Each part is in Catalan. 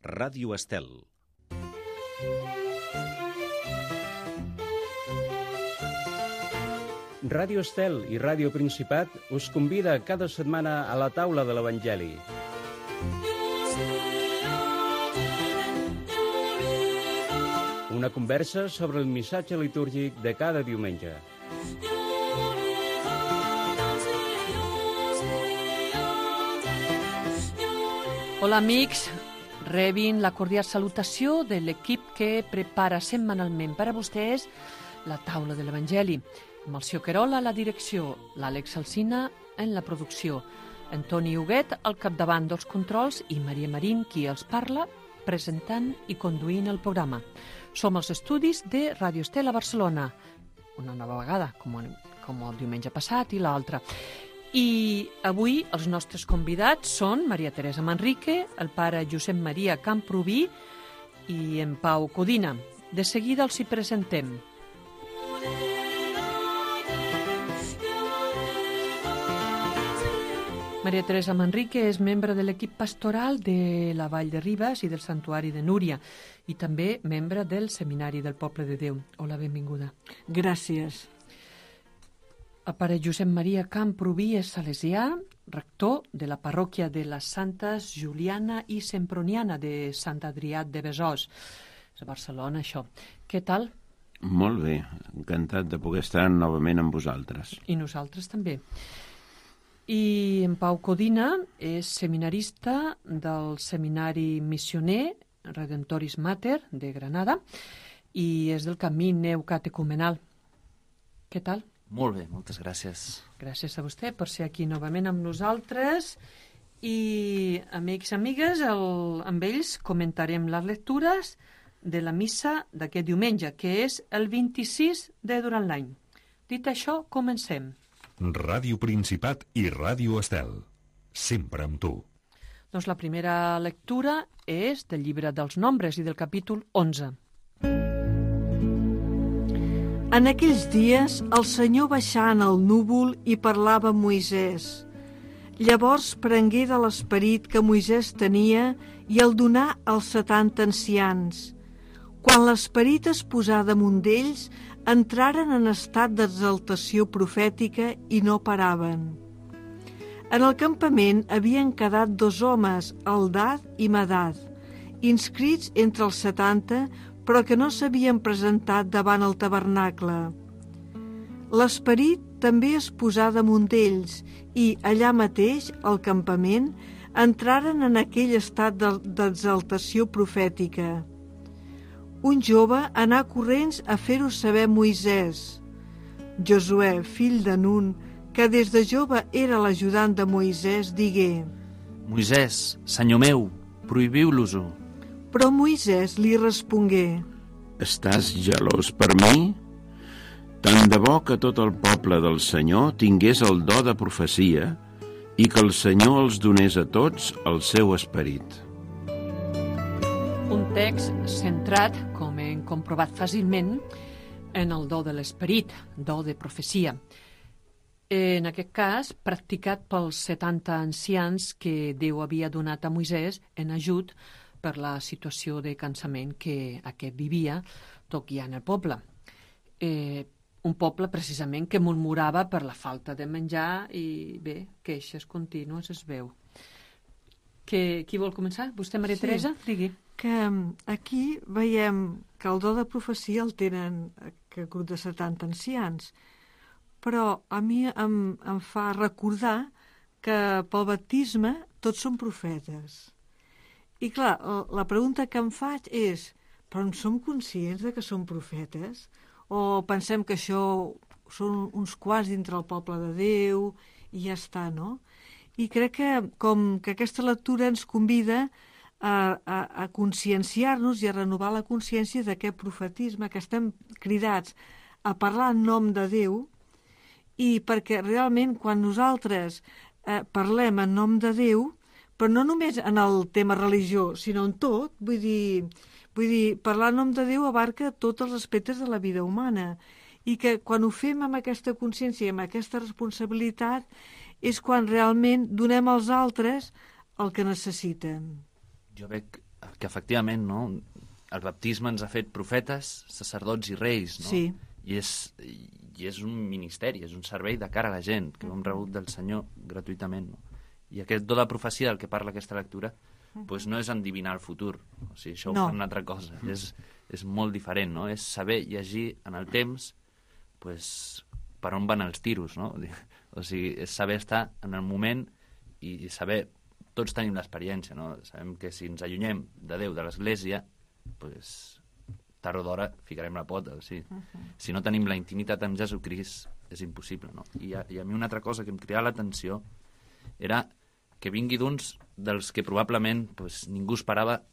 Ràdio Estel. Ràdio Estel i Ràdio Principat us convida cada setmana a la taula de l'Evangeli. Una conversa sobre el missatge litúrgic de cada diumenge. Hola amics, rebin la cordial salutació de l'equip que prepara setmanalment per a vostès la taula de l'Evangeli. Amb el Sió Querola a la direcció, l'Àlex Alsina en la producció, Antoni Huguet al capdavant dels controls i Maria Marín, qui els parla, presentant i conduint el programa. Som als estudis de Ràdio Estel a Barcelona, una nova vegada, com el diumenge passat i l'altre. I avui els nostres convidats són Maria Teresa Manrique, el pare Josep Maria Camprubí i en Pau Codina. De seguida els hi presentem. Maria Teresa Manrique és membre de l'equip pastoral de la Vall de Ribes i del Santuari de Núria i també membre del Seminari del Poble de Déu. Hola, benvinguda. Gràcies. El pare Josep Maria Camprubí és salesià, rector de la parròquia de les Santes Juliana i Semproniana de Sant Adrià de Besòs. És a Barcelona, això. Què tal? Molt bé, encantat de poder estar novament amb vosaltres. I nosaltres també. I en Pau Codina és seminarista del Seminari Missioner Redemptoris Mater de Granada i és del Camí Neocatecumenal. Què tal? Molt bé, moltes gràcies. Gràcies a vostè per ser aquí novament amb nosaltres i, amics i amigues, amb ells comentarem les lectures de la missa d'aquest diumenge, que és el 26 de durant l'any. Dit això, comencem. Ràdio Principat i Ràdio Estel. Sempre amb tu. Doncs la primera lectura és del llibre dels Nombres i del capítol 11. En aquells dies, el Senyor baixà en el núvol i parlava amb Moisès. Llavors prengué de l'esperit que Moisès tenia i el donà als 70 ancians. Quan l'esperit es posà damunt d'ells, entraren en estat d'exaltació profètica i no paraven. En el campament havien quedat 2 homes, Eldad i Medad, inscrits entre els 70, però que no s'havien presentat davant el tabernacle. L'esperit també es posà damunt d'ells i, allà mateix, al campament, entraren en aquell estat d'exaltació profètica. Un jove anà corrents a fer-ho saber a Moisès. Josuè, fill de Nun, que des de jove era l'ajudant de Moisès, digué: Moisès, senyor meu, prohibiu-los-ho. Però Moisès li respongué: Estàs gelós per mi? Tant de bo que tot el poble del Senyor tingués el do de profecia i que el Senyor els donés a tots el seu esperit. Un text centrat, com hem comprovat fàcilment, en el do de l'esperit, do de profecia. En aquest cas, practicat pels 70 ancians que Déu havia donat a Moisès en ajut per la situació de cansament que aquest vivia, tot guiant el poble. Un poble, precisament, que murmurava per la falta de menjar i, bé, queixes contínues es veu. Qui vol començar? Vostè, Maria Teresa? Digui. Que aquí veiem que el do de profecia el tenen aquest grup de 70 ancians, però a mi em fa recordar que pel baptisme tots són profetes. I clar, la pregunta que em faig és, però en som conscients de que són profetes? O pensem que això són uns quants dintre el poble de Déu i ja està, no? I crec que com que aquesta lectura ens convida a conscienciar-nos i a renovar la consciència d'aquest profetisme, que estem cridats a parlar en nom de Déu, i perquè realment quan nosaltres parlem en nom de Déu, però no només en el tema religiós, sinó en tot, vull dir, parlar en nom de Déu abarca tots els aspectes de la vida humana, i que quan ho fem amb aquesta consciència i amb aquesta responsabilitat és quan realment donem als altres el que necessiten. Jo veig que efectivament, no? El baptisme ens ha fet profetes, sacerdots i reis, no? Sí. I és un ministeri, és un servei de cara a la gent, que ho hem rebut del Senyor gratuïtament, no? I aquest do de profecia del que parla aquesta lectura pues no és endivinar el futur, o sigui, això ho fa una altra cosa, és molt diferent, no? És saber llegir en el temps pues, per on van els tiros, no? O sigui, és saber estar en el moment i saber, tots tenim l'experiència, no? Sabem que si ens allunyem de Déu, de l'Església, pues, tard o d'hora ficarem la pota, o sigui, si no tenim la intimitat amb Jesucrist és impossible, no? I a mi una altra cosa que em cridava l'atenció era que vingui d'uns dels que probablement pues, ningú esperava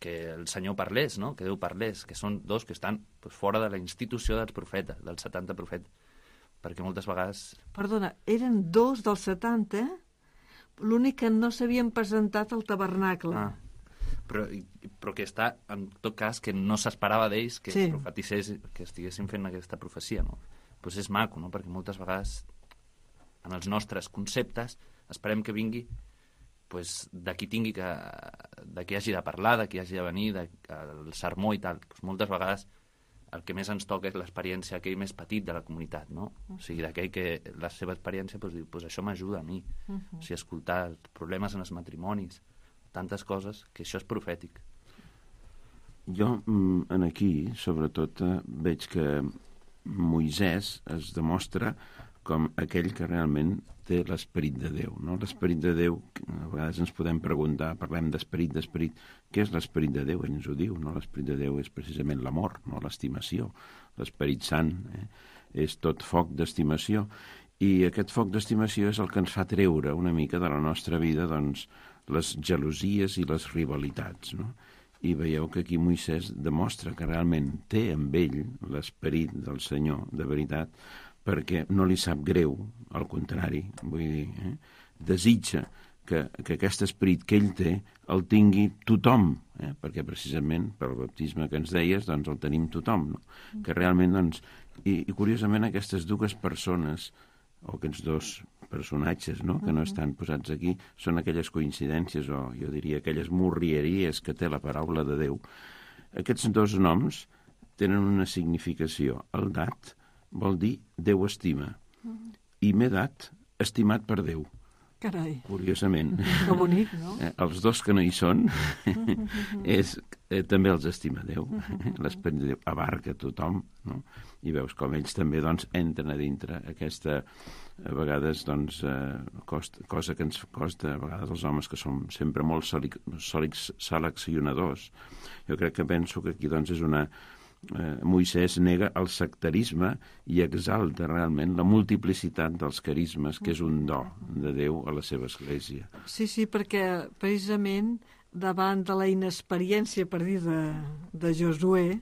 que el Senyor parlés, no? Que Déu parlés, que són dos que estan pues, fora de la institució dels profetes, dels 70 profetes, perquè moltes vegades... Perdona, eren 2 dels 70, l'únic que no s'havien presentat al tabernacle. Però que està, en tot cas, que no s'esperava d'ells que profetissés, que estiguessin fent aquesta profecia, no? Pues és maco, no? Perquè moltes vegades en els nostres conceptes esperem que vingui pues, de qui tingui de qui hagi de parlar, de qui hagi de venir, del sermó i tal. Pues, moltes vegades el que més ens toca és l'experiència aquell més petit de la comunitat, no? O sigui, d'aquell que la seva experiència pues, diu, pues, això m'ajuda a mi. O sigui, escoltar els problemes en els matrimonis, tantes coses, que això és profètic. Jo, aquí, sobretot, veig que Moisès es demostra com aquell que realment té l'esperit de Déu, no? L'esperit de Déu, a vegades ens podem preguntar, parlem d'esperit, què és l'esperit de Déu? Ell ens ho diu, no? L'esperit de Déu és precisament l'amor, no? L'estimació. L'esperit sant és tot foc d'estimació. I aquest foc d'estimació és el que ens fa treure una mica de la nostra vida, doncs, les gelosies i les rivalitats, no? I veieu que aquí Moisès demostra que realment té amb ell l'esperit del Senyor, de veritat, perquè no li sap greu, al contrari, vull dir, desitja que aquest esperit que ell té el tingui tothom, perquè precisament pel baptisme que ens deies, doncs el tenim tothom, no? Que realment, doncs, i curiosament aquestes dues persones, o aquests dos personatges, no?, que no estan posats aquí, són aquelles coincidències, o jo diria aquelles morrieries que té la paraula de Déu. Aquests dos noms tenen una significació. El dat vol dir Déu estima, i Medat, estimat per Déu. Carai. Curiosament. Que bonic, no? Els dos que no hi són, també els estima Déu. L'esperit de Déu abarca tothom, no? I veus com ells també, doncs, entren a dintre aquesta, a vegades, doncs, cosa que ens costa, a vegades els homes que som sempre molt seleccionadors. Jo crec que penso que aquí, doncs, és una... Moisès nega el sectarisme i exalta realment la multiplicitat dels carismes, que és un do de Déu a la seva església. Sí, perquè precisament davant de la inexperiència, per dir, de Josué,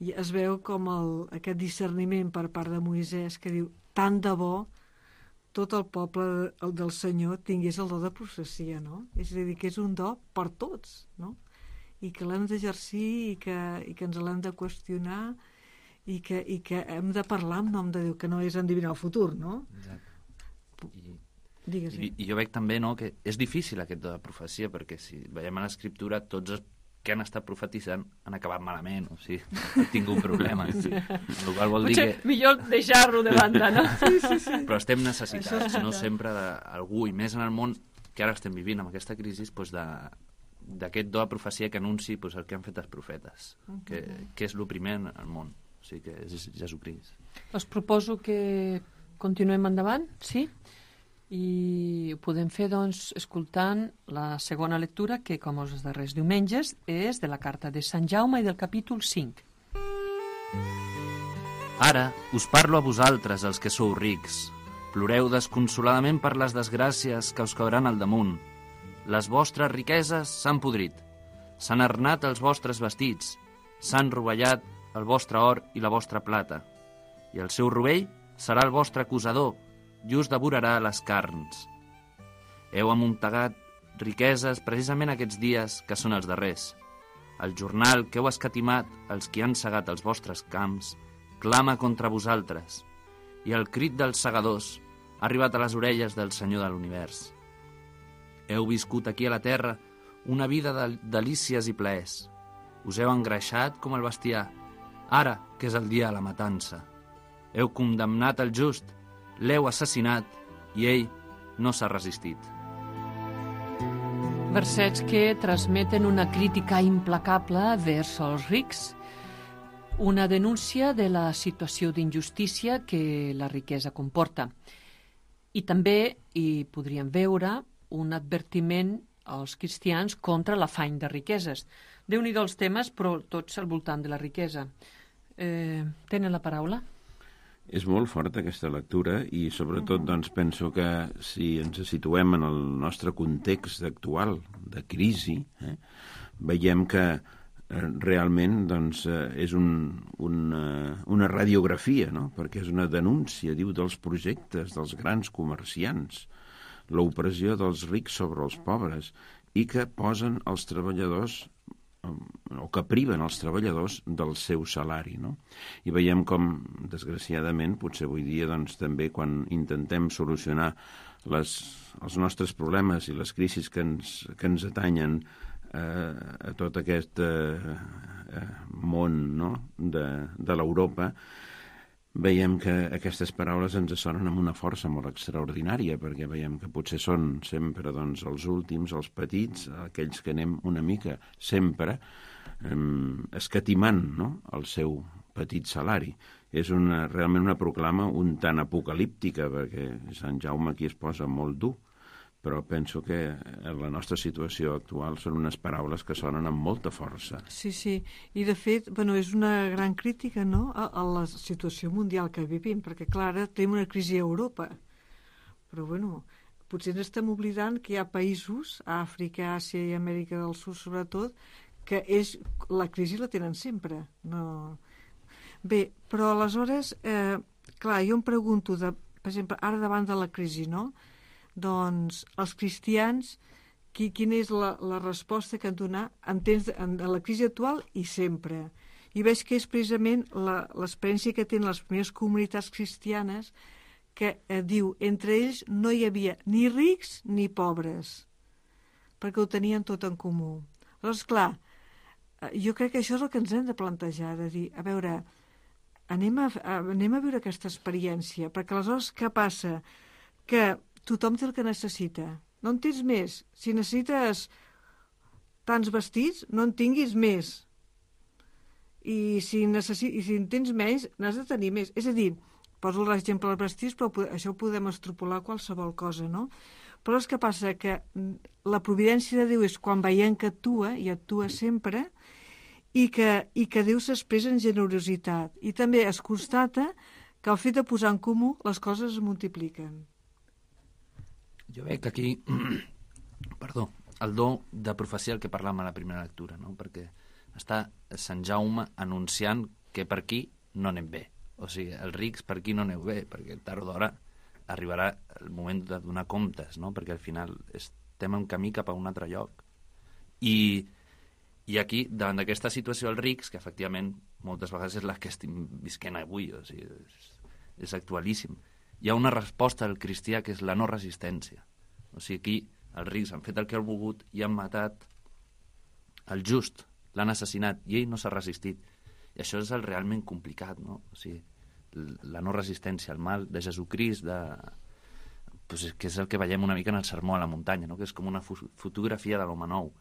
es veu com aquest discerniment per part de Moisès que diu, tant de bo tot el poble del Senyor tingués el do de profecia, no? És a dir, que és un do per tots, no? I que l'hem d'exercir i que ens l'hem de qüestionar i que hem de parlar en nom de Déu, que no és endevinar el futur, no? Exacte. Digues. I jo veig també, no, que és difícil aquest de la profecia, perquè si veiem a l'Escriptura, tots els que han estat profetitzant han acabat malament, o sigui, han tingut problemes. Sí. El qual vol dir que... Millor deixar-lo de banda, no? Sí. Però estem necessitats, no sempre d'algú, i més en el món que ara estem vivint, amb aquesta crisi, doncs d'aquest do de profecia que anunci pues, el que han fet els profetes, que és el primer en el món, o sigui que és Jesucrist. Us proposo que continuem endavant, sí? I ho podem fer, doncs, escoltant la segona lectura, que, com els darrers diumenges, és de la carta de Sant Jaume i del capítol 5. Ara us parlo a vosaltres, els que sou rics. Ploreu desconsoladament per les desgràcies que us cauran al damunt. Les vostres riqueses s'han podrit, s'han arnat els vostres vestits, s'han rovellat el vostre or i la vostra plata, i el seu rovell serà el vostre acusador, i us devorarà les carns. Heu amuntegat riqueses precisament aquests dies que són els darrers. El jornal que heu escatimat els qui han segat els vostres camps clama contra vosaltres, i el crit dels segadors ha arribat a les orelles del Senyor de l'univers. Heu viscut aquí a la terra una vida de delícies i plaers. Us heu engreixat com el bestiar, ara que és el dia de la matança. Heu condemnat el just, l'heu assassinat i ell no s'ha resistit. Versets que transmeten una crítica implacable vers els rics, una denúncia de la situació d'injustícia que la riquesa comporta. I també hi podríem veure un advertiment als cristians contra l'afany de riqueses. Déu-n'hi-do els temes, però tots al voltant de la riquesa. Tenen la paraula? És molt forta aquesta lectura i sobretot doncs, penso que si ens situem en el nostre context actual de crisi, veiem que realment doncs, és una radiografia, no? Perquè és una denúncia, diu, dels projectes dels grans comerciants, l'opressió dels rics sobre els pobres i que posen els treballadors o que priven els treballadors del seu salari, no? I veiem com, desgraciadament, potser avui dia doncs, també quan intentem solucionar els nostres problemes i les crisis que ens atanyen a tot aquest món, no? de l'Europa, veiem que aquestes paraules ens sonen amb una força molt extraordinària, perquè veiem que potser són sempre doncs, els últims, els petits, aquells que anem una mica sempre escatimant, no? el seu petit salari. És realment una proclama un tant apocalíptica, perquè Sant Jaume aquí es posa molt dur, però penso que en la nostra situació actual són unes paraules que sonen amb molta força. Sí, i de fet, és una gran crítica, no?, a la situació mundial que vivim, perquè, clar, ara tenim una crisi a Europa, però, potser ens estem oblidant que hi ha països, a Àfrica, Àsia i Amèrica del Sud, sobretot, que la crisi la tenen sempre. No... Bé, però aleshores, clar, jo em pregunto, per exemple, ara davant de la crisi, no?, doncs els cristians, quina és la resposta que han donat en la crisi actual i sempre? I veig que és precisament l'experiència que tenen les primeres comunitats cristianes que diu, entre ells no hi havia ni rics ni pobres, perquè ho tenien tot en comú. Llavors, clar, jo crec que això és el que ens hem de plantejar, de dir, a veure, anem a viure aquesta experiència, perquè aleshores què passa? Que tothom té el que necessita. No en tens més. Si necessites tants vestits, no en tinguis més. I si en tens menys, n'has de tenir més. És a dir, poso l'exemple dels vestits, però això ho podem extrapolar a qualsevol cosa, no? Però és que passa que la providència de Déu és quan veiem que actua, i actua sempre, i que Déu s'expressa en generositat. I també es constata que al fet de posar en comú les coses es multipliquen. Jo veig aquí, el do de profecia el que parlàvem a la primera lectura, no? Perquè està Sant Jaume anunciant que per aquí no anem bé. O sigui, els rics per aquí no aneu bé, perquè tard o d'hora arribarà el moment de donar comptes, no? Perquè al final estem en camí cap a un altre lloc. I aquí, davant d'aquesta situació dels rics, que efectivament moltes vegades és la que estem visquent avui, o sigui, és actualíssim, hi ha una resposta al cristià que és la no resistència. O sigui, aquí els rics han fet el que han volgut i han matat el just, l'han assassinat, i ell no s'ha resistit. I això és el realment complicat, no? O sigui, la no resistència al mal de Jesucrist, que és el que veiem una mica en el sermó a la muntanya, no? Que és com una fotografia de l'home nou.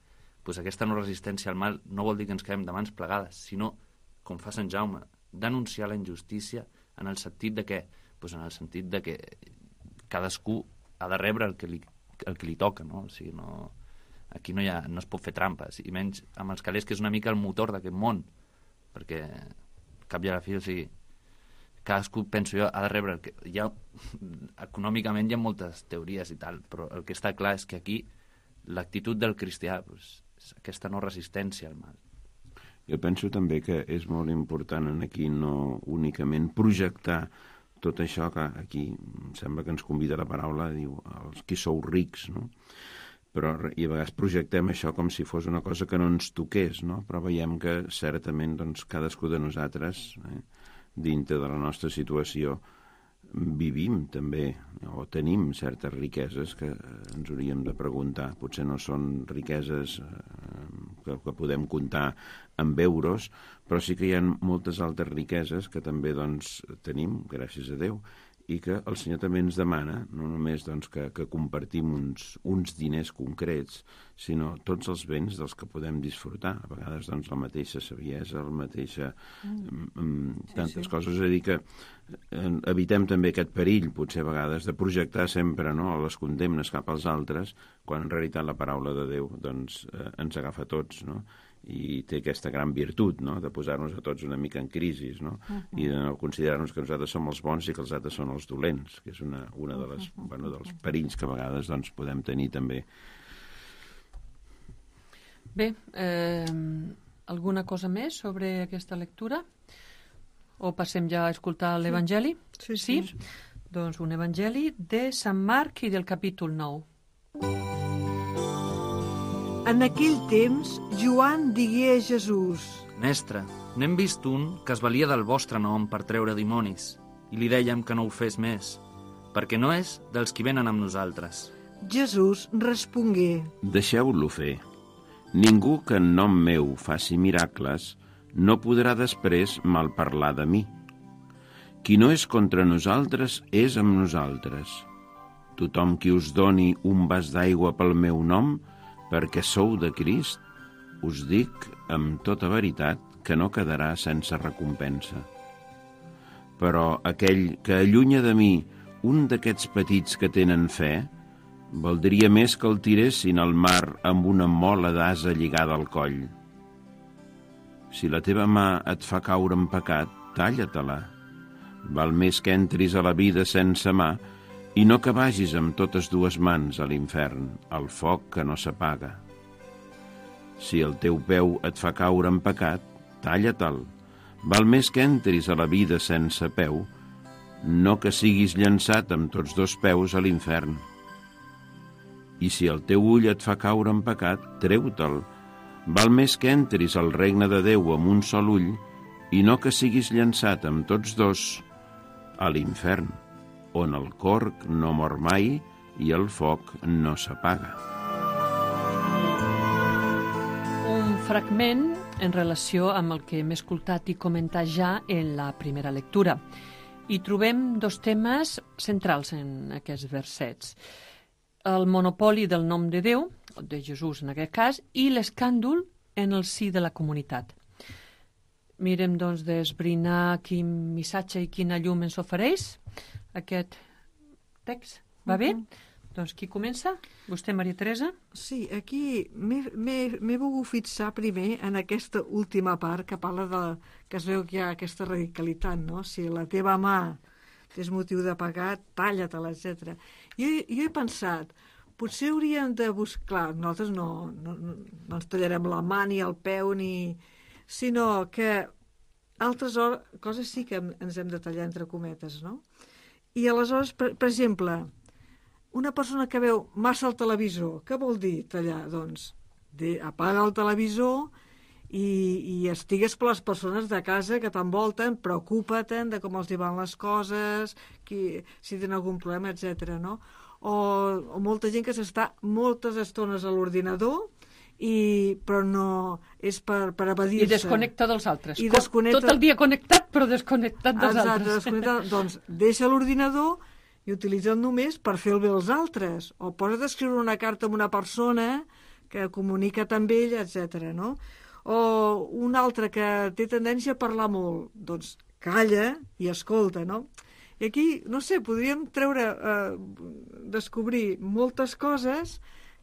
Aquesta no resistència al mal no vol dir que ens quedem de mans plegades, sinó, com fa Sant Jaume, denunciar la injustícia en el sentit de què? En el sentit de que cadascú ha de rebre el que li toca, no? O sigui, aquí no es pot fer trampes, i menys amb els calés, que és una mica el motor d'aquest món, perquè cap i a la fi, o sigui, cadascú, penso jo, ha de rebre econòmicament hi ha moltes teories i tal, però el que està clar és que aquí l'actitud del cristià és aquesta no resistència al mal. Jo penso també que és molt important aquí no únicament projectar tot això que aquí em sembla que ens convida la paraula, diu, els qui sou rics, no? Però i a vegades projectem això com si fos una cosa que no ens toqués, no? Però veiem que certament doncs, cadascú de nosaltres, dintre de la nostra situació, vivim també, o tenim certes riqueses que ens hauríem de preguntar. Potser no són riqueses que podem comptar amb euros, però sí que hi ha moltes altres riqueses que també doncs, tenim, gràcies a Déu, i que el Senyor també ens demana, no només doncs, que compartim uns diners concrets, sinó tots els béns dels que podem disfrutar. A vegades doncs, la mateixa saviesa, la mateixa... tantes coses. És a dir, que evitem també aquest perill, potser a vegades, de projectar sempre les condemnes cap als altres, quan en realitat la paraula de Déu doncs, ens agafa a tots, no? I té aquesta gran virtut, no?, de posar-nos a tots una mica en crisi, no? I de no considerar-nos que nosaltres som els bons i que els altres són els dolents, que és una de les, dels perills que a vegades doncs, podem tenir també. Bé, alguna cosa més sobre aquesta lectura? O passem ja a escoltar l'Evangeli? Sí? Doncs un Evangeli de Sant Marc i del capítol 9. En aquell temps, Joan digué a Jesús: Mestre, n'hem vist un que es valia del vostre nom per treure dimonis, i li dèiem que no ho fes més, perquè no és dels qui venen amb nosaltres. Jesús respongué: Deixeu-lo fer. Ningú que en nom meu faci miracles no podrà després malparlar de mi. Qui no és contra nosaltres és amb nosaltres. Tothom qui us doni un vas d'aigua pel meu nom, perquè sou de Crist, us dic amb tota veritat que no quedarà sense recompensa. Però aquell que allunya de mi un d'aquests petits que tenen fe, valdria més que el tiressin al mar amb una mola d'ase lligada al coll. Si la teva mà et fa caure en pecat, talla-te-la. Val més que entris a la vida sense mà i no que vagis amb totes dues mans a l'infern, al foc que no s'apaga. Si el teu peu et fa caure en pecat, talla-te'l. Val més que entris a la vida sense peu, no que siguis llançat amb tots dos peus a l'infern. I si el teu ull et fa caure en pecat, treu-te'l. Val més que entris al regne de Déu amb un sol ull i no que siguis llançat amb tots dos a l'infern, on el corc no mor mai i el foc no s'apaga. Un fragment en relació amb el que hem escoltat i comentat ja en la primera lectura. I trobem dos temes centrals en aquests versets. El monopoli del nom de Déu, de Jesús en aquest cas, i l'escàndol en el si de la comunitat. Mirem, doncs, d'esbrinar quin missatge i quina llum ens ofereix aquest text. Va bé? Doncs qui comença? Vostè, Maria Teresa? Sí, aquí m'he volgut fixar primer en aquesta última part que parla que es veu que hi ha aquesta radicalitat, no? Si la teva mà és motiu de pecat, talla-te-la, etc. Jo he pensat, potser hauríem de buscar... Clar, nosaltres no ens tallarem la mà ni el peu, sinó que altres coses sí que ens hem de tallar entre cometes, no? I aleshores, per exemple, una persona que veu massa el televisor, què vol dir tallar? Doncs apaga el televisor i estigues per les persones de casa que t'envolten, preocupa-te'n de com els van les coses, si tenen algun problema, etc. No? O molta gent que s'està moltes estones a l'ordinador, però no és per evadir-se. I desconnecta dels altres. Desconnecta... Tot el dia connectat, però desconnectat dels altres. Desconnectat. Doncs deixa l'ordinador i utilitza't només per fer el bé als altres. O posa't a escriure una carta a una persona que comunica amb ella, etc. No? O un altre que té tendència a parlar molt. Doncs calla i escolta, no? I aquí, no sé, podríem descobrir moltes coses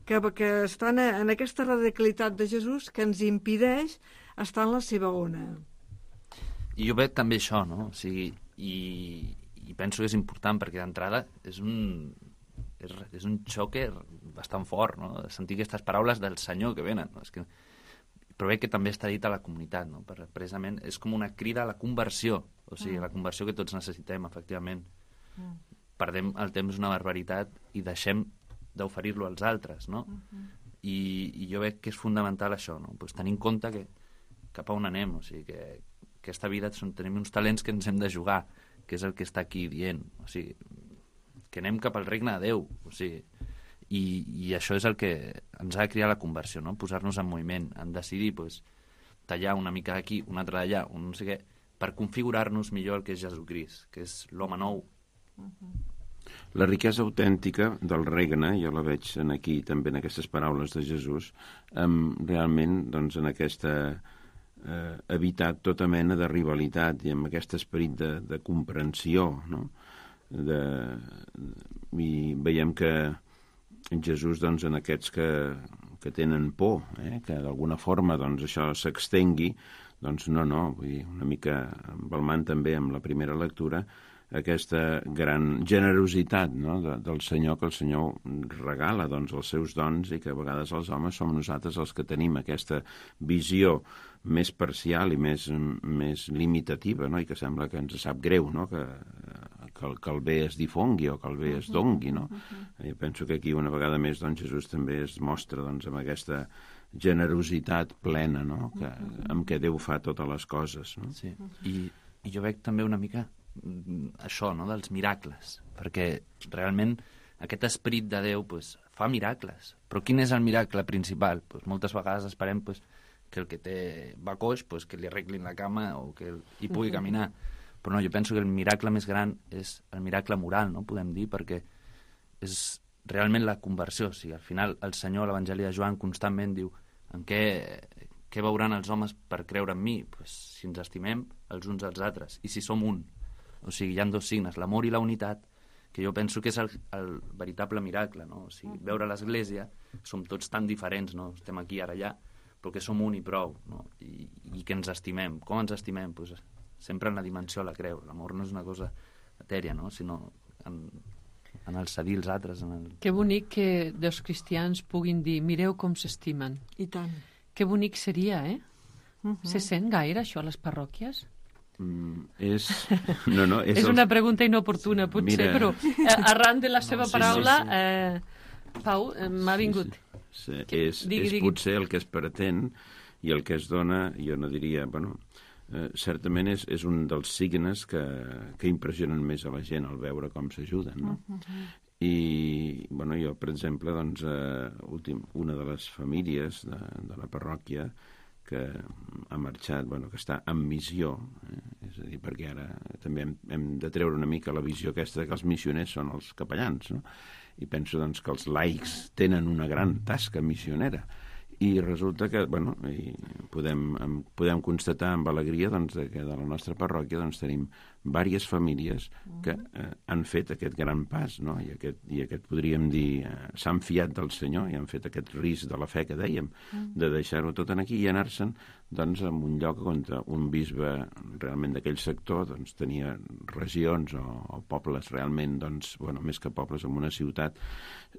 que estan en aquesta radicalitat de Jesús que ens impedeix estar en la seva ona. I jo veig també això, no? O sigui, i penso que és important perquè d'entrada és un xoc bastant fort, no? Sentir aquestes paraules del Senyor que venen, no? Però veig que també està dit a la comunitat, no? Precisament és com una crida a la conversió, o sigui, la conversió que tots necessitem, efectivament. Perdem el temps una barbaritat i deixem d'oferir-lo als altres, no? I jo veig que és fundamental això, no? Pues tenir en compte que cap a on anem, o sigui, que aquesta vida tenim uns talents que ens hem de jugar que és el que està aquí dient. O sigui, que anem cap al regne de Déu. O sigui, i això és el que ens ha de criar la conversió, no? Posar-nos en moviment, en decidir pues, tallar una mica d'aquí, una altra d'allà, un no sé què, per configurar-nos millor el que és Jesucrist, que és l'home nou. La riquesa autèntica del regne, jo la veig aquí també en aquestes paraules de Jesús, realment doncs, en aquesta evitar tota mena de rivalitat i amb aquest esperit de comprensió, no? I veiem que Jesús, doncs, en aquests que tenen por, que d'alguna forma doncs, això s'extengui, doncs no, vull dir, una mica embalmant també amb la primera lectura aquesta gran generositat, no? del Senyor, que el Senyor regala doncs, els seus dons i que a vegades els homes som nosaltres els que tenim aquesta visió més parcial i més limitativa, no? I que sembla que ens sap greu, no? que el bé es difongui o que el bé es dongui. No? Jo penso que aquí una vegada més doncs, Jesús també es mostra doncs, amb aquesta generositat plena, no? Amb què Déu fa totes les coses. No? Sí. I jo veig també una mica això, no? Dels miracles, perquè realment aquest esperit de Déu pues, fa miracles. Però quin és el miracle principal? Pues, moltes vegades esperem pues, que el que va coix pues, que li arreglin la cama o que hi pugui caminar. Però no, jo penso que el miracle més gran és el miracle moral, no? Podem dir, perquè és realment la conversió. O sigui, al final el Senyor a l'Evangeli de Joan constantment diu en què veuran els homes per creure en mi? Pues, si ens estimem els uns als altres i si som un. O sigui, hi ha dos signes, l'amor i la unitat, que jo penso que és el veritable miracle, no? O sigui, veure l'Església, som tots tan diferents, no? Estem aquí, ara, allà, però que som un i prou, no? I que ens estimem. Com ens estimem? Pues, sempre en la dimensió de la creu. L'amor no és una cosa etèria, no? Sinó en el cedir els altres. Que bonic que dos cristians puguin dir mireu com s'estimen. I tant. Que bonic seria, eh? Se sent gaire això a les parròquies? És una pregunta inoportuna, potser, Mira, però arran de la seva paraula, Pau, m'ha vingut. Sí. És potser el que es pretén i el que es dona, jo no diria, certament és un dels signes que impressionen més a la gent al veure com s'ajuden, no? I, jo, per exemple, doncs, una de les famílies de la parròquia que ha marxat, que està en missió, és a dir, perquè ara també hem de treure una mica la visió aquesta que els missioners són els capellans, no? I penso doncs, que els laics tenen una gran tasca missionera i resulta que podem constatar amb alegria doncs, que de la nostra parròquia doncs, tenim diverses famílies que han fet aquest gran pas, no? I aquest podríem dir s'han fiat del Senyor i han fet aquest risc de la fe que dèiem, de deixar-ho tot aquí i anar-se'n doncs, en un lloc on un bisbe realment d'aquell sector doncs, tenia regions o pobles realment, doncs, més que pobles, en una ciutat,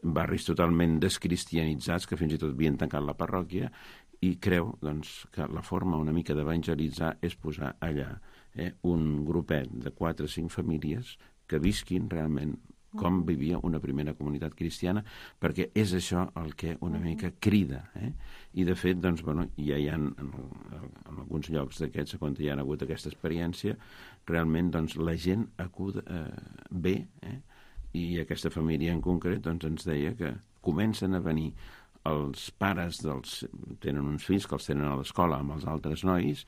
barris totalment descristianitzats que fins i tot havien tancat la parròquia i creu doncs, que la forma una mica d'evangelitzar és posar allà un grupet de 4 o 5 famílies que visquin realment com vivia una primera comunitat cristiana, perquè és això el que una mica crida. I de fet, doncs, ja hi ha en alguns llocs d'aquests, quan hi ha hagut aquesta experiència, realment doncs, la gent acuda bé, i aquesta família en concret doncs, ens deia que comencen a venir els pares tenen uns fills que els tenen a l'escola amb els altres nois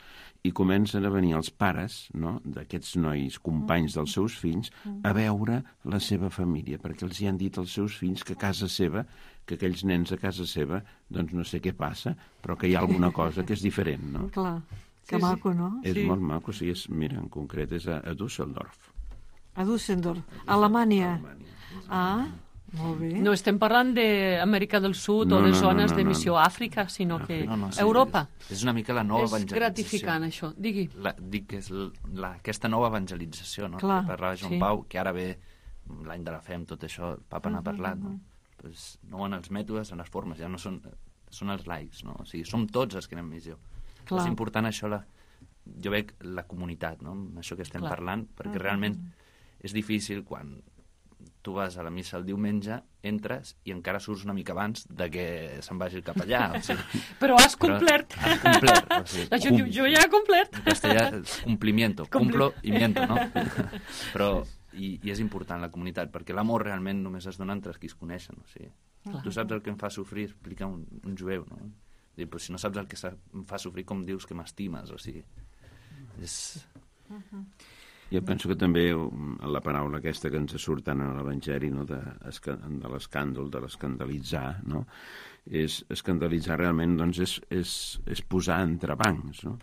i comencen a venir els pares, no, d'aquests nois companys dels seus fills a veure la seva família, perquè els hi han dit als seus fills que a casa seva, que aquells nens a casa seva, doncs no sé què passa, però que hi ha alguna cosa que és diferent, no? Clar, que maco, no? És molt maco, sí, mira, en concret és a Düsseldorf. A Düsseldorf, Alemanya. Molt bé. No estem parlant d'Amèrica del Sud o de zones de missió a Àfrica, sinó que Europa. És una mica la nova evangelització. És gratificant, això. Digui. Dic que és aquesta nova evangelització, no? Clar, que parlava Joan Pau, que ara ve l'any de la fe amb tot això, el papa n'ha parlat, no? Pues no en els mètodes, en les formes, ja no són els laics, no? O sigui, som tots els que anem missió. Clar. És important això, jo veig la comunitat, no? Això que estem parlant, perquè realment és difícil quan tu vas a la missa el diumenge, entres i encara surts una mica abans de que se'n vagi cap allà. O sigui, Però has complert. Has complert. O sigui, La gent diu, jo ja he complert. En castellà, cumplimiento, cumplo i miento, no? Però, i és important la comunitat, perquè l'amor realment només es dona entre els qui es coneixen. O sigui, tu saps el que em fa sofrir, explica un jueu, no? I, pues, si no saps el que em fa sofrir, com dius que m'estimes? O sigui, és... Jo penso que també la paraula aquesta que ens surt tant a l'Evangeli, no? de l'escàndol, de l'escandalitzar, no? Escandalitzar realment doncs, és posar entrebancs, no?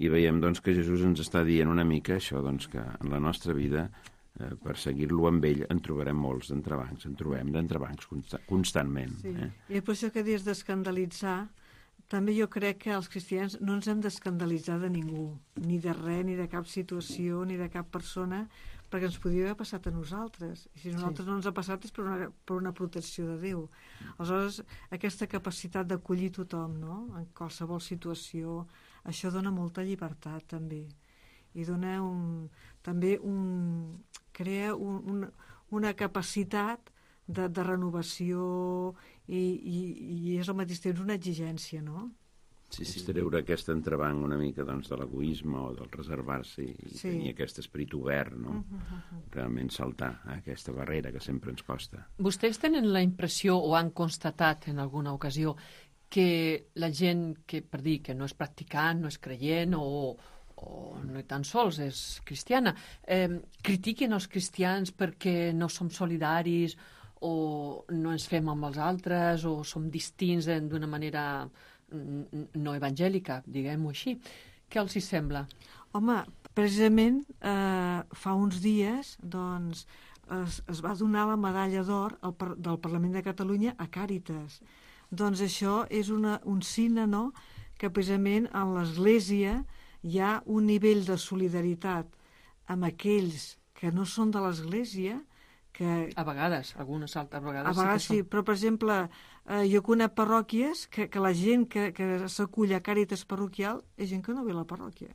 I veiem doncs, que Jesús ens està dient una mica això, doncs, que en la nostra vida, per seguir-lo amb ell, en trobarem molts d'entrebancs, en trobem d'entrebancs constantment. Sí. I per això que dius d'escandalitzar, també jo crec que els cristians no ens hem d'escandalitzar de ningú, ni de res, ni de cap situació, ni de cap persona, perquè ens podria haver passat a nosaltres. I si a nosaltres no ens ha passat és per una protecció de Déu. Aleshores, aquesta capacitat d'acollir tothom, no?, en qualsevol situació, això dona molta llibertat, també. I dona crea una capacitat de renovació i és al mateix temps una exigència, no? Sí. És treure aquest entrebanc una mica doncs, de l'egoisme o del reservar-se i tenir aquest esperit obert, no? Realment saltar aquesta barrera que sempre ens costa. Vostès tenen la impressió o han constatat en alguna ocasió que la gent que, per dir, que no és practicant, no és creient o no tan sols és cristiana, critiquen els cristians perquè no som solidaris o no ens fem amb els altres o som distints d'una manera no evangèlica, diguem-ho així. Què els hi sembla? Home, precisament fa uns dies doncs, es va donar la medalla d'or del Parlament de Catalunya a Càritas. Doncs això és un signe, no?, que precisament en l'Església hi ha un nivell de solidaritat amb aquells que no són de l'Església, que... A vegades, algunes altres vegades. A vegades sí, però, per exemple, jo conec parròquies que la gent que s'acull a Càritas parroquial és gent que no ve a la parròquia,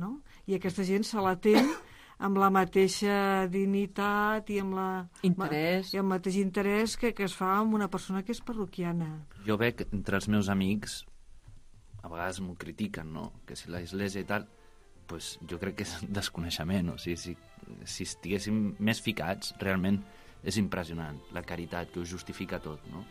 no? I aquesta gent se l'atén amb la mateixa dignitat i amb interès. I el mateix interès que es fa amb una persona que és parroquiana. Jo veig entre els meus amics, a vegades m'ho critiquen, no?, que si l'església i tal, pues jo crec que és desconeixement. O sigui, si estiguéssim més ficats, realment és impressionant la caritat que ho justifica tot, no?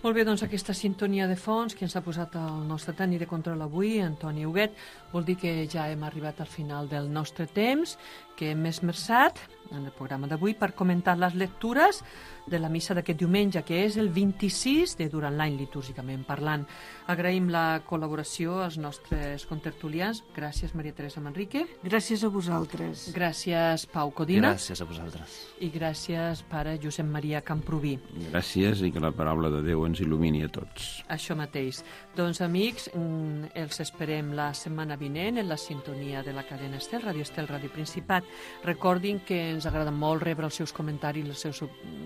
Molt bé, doncs aquesta sintonia de fons que ens ha posat el nostre tècnic de control avui, Antoni Huguet, vol dir que ja hem arribat al final del nostre temps, que hem esmerçat en el programa d'avui per comentar les lectures de la missa d'aquest diumenge, que és el 26 de durant l'any litúrgicament parlant. Agraïm la col·laboració als nostres contertulians. Gràcies, Maria Teresa Manrique. Gràcies a vosaltres. Gràcies, Pau Codina. Gràcies a vosaltres. I gràcies, pare Josep Maria Camproví. Gràcies i que la paraula de Déu ens il·lumini a tots. Això mateix. Doncs, amics, els esperem la setmana vinent en la sintonia de la cadena Estel, Ràdio Estel, Ràdio Principat. Recordin que ens agrada molt rebre els seus comentaris, els seus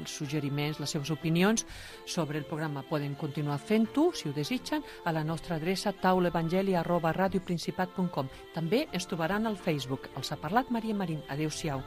suggeriments, les seves opinions sobre el programa. Poden continuar fent-ho, si ho desitgen, a la nostra adreça taulaevangeli@radioprincipat.com. També ens trobaran al Facebook. Els ha parlat Maria Marín. Adéu-siau.